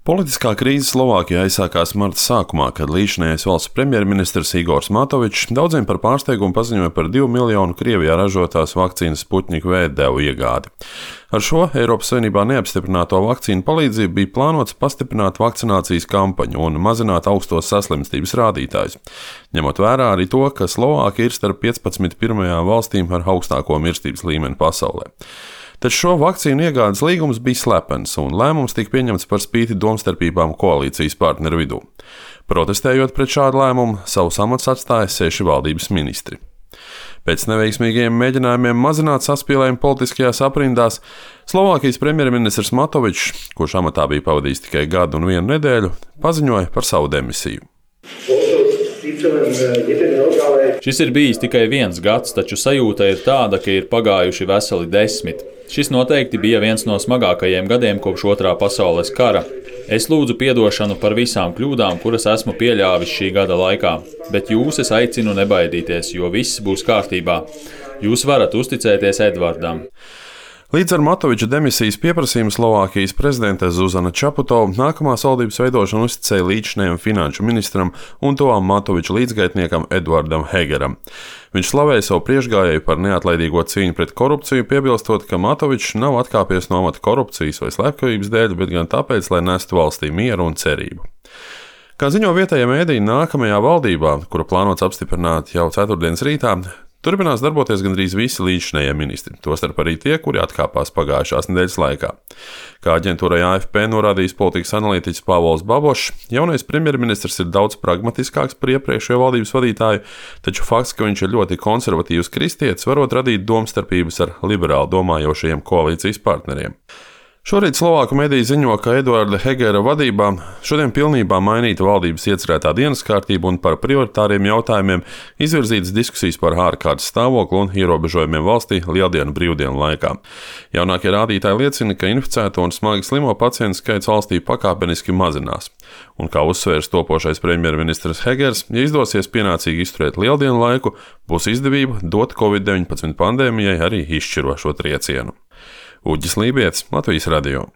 Politiskā krīze Slovākijā aizsākās marta sākumā, kad līdzinājais valsts premjerministrs Igors Matovičs daudziem par pārsteigumu paziņoja par 2 miljonu Krievijā ražotās vakcīnas Sputnik V devu iegādi. Ar šo Eiropas Savienībā neapstiprināto vakcīnu palīdzību bija plānots pastiprināt vakcinācijas kampaņu un mazināt augstos saslimstības rādītājus, ņemot vērā arī to, ka Slovākija ir starp 15 pirmajām valstīm ar augstāko mirstības līmeni pasaulē. Taču šo vakcīnu iegādes līgums bija slepens, un lēmums tika pieņemts par spīti domstarpībām koalīcijas partneru vidū. Protestējot pret šādu lēmumu, savus amatus atstāja 6 valdības ministri. Pēc neveiksmīgiem mēģinājumiem mazināt saspīlējumu politiskajās aprindās, Slovākijas premjerministrs Matovičs, kurš amatā bija pavadījis tikai gadu un 1 nedēļu, paziņoja par savu demisiju. Šis ir bijis tikai 1 gads, taču sajūta ir tāda, ka ir pagājuši veseli 10. Šis noteikti bija viens no smagākajiem gadiem kopš Otrā pasaules kara. Es lūdzu piedošanu par visām kļūdām, kuras esmu pieļāvis šī gada laikā, bet jūs es aicinu nebaidīties, jo viss būs kārtībā. Jūs varat uzticēties Edvardam. Līdz ar Matoviča demisijas pieprasījumu Slovākijas prezidente Zuzana Čaputova nākamās valdības veidošanu uzticēja līdzinējam finanšu ministram un tuvām Matoviča līdzgaitniekam Edvardam Hegeram. Viņš slavēja savu priekšgājēju par neatlaidīgo cīņu pret korupciju, piebilstot, ka Matovičs nav atkāpies no amata korupcijas vai slepkavības dēļ, bet gan tāpēc, lai nestu valstī mieru un cerību. Kā ziņo vietējie mēdīji, nākamajā valdībā, kura plānots apstiprināt jau ceturtdienas rītā, turpinās darboties gandrīz visi līdzinējie ministri, tostarp arī tie, kuri atkāpās pagājušās nedēļas laikā. Kā aģentūrai AFP norādījis politikas analītiķis Pāvols Babošs, jaunais premjerministrs ir daudz pragmatiskāks par iepriekšējo valdības vadītāju, taču fakts, ka viņš ir ļoti konservatīvs kristietis, varot radīt domstarpības ar liberāli domājošajiem koalīcijas partneriem. Šorīt Slovāku mediji ziņo, ka Edvarda Hegera vadībā šodien pilnībā mainīta valdības iecerētā dienas kārtība un par prioritāriem jautājumiem izvirzītas diskusijas par ārkārtas stāvokli un ierobežojumiem valstī Lieldienu brīvdienu laikā. Jaunākie rādītāji liecina, ka inficēto un smagi slimo pacientu skaits valstī pakāpeniski mazinās. Un kā uzsvērs topošais premjerministrs Hegers, ja izdosies pienācīgi izturēt Lieldienu laiku, būs izdevība dot Covid-19 pandēmijai arī izšķirošo triecienu. Uģis Lībietis, Latvijas radio.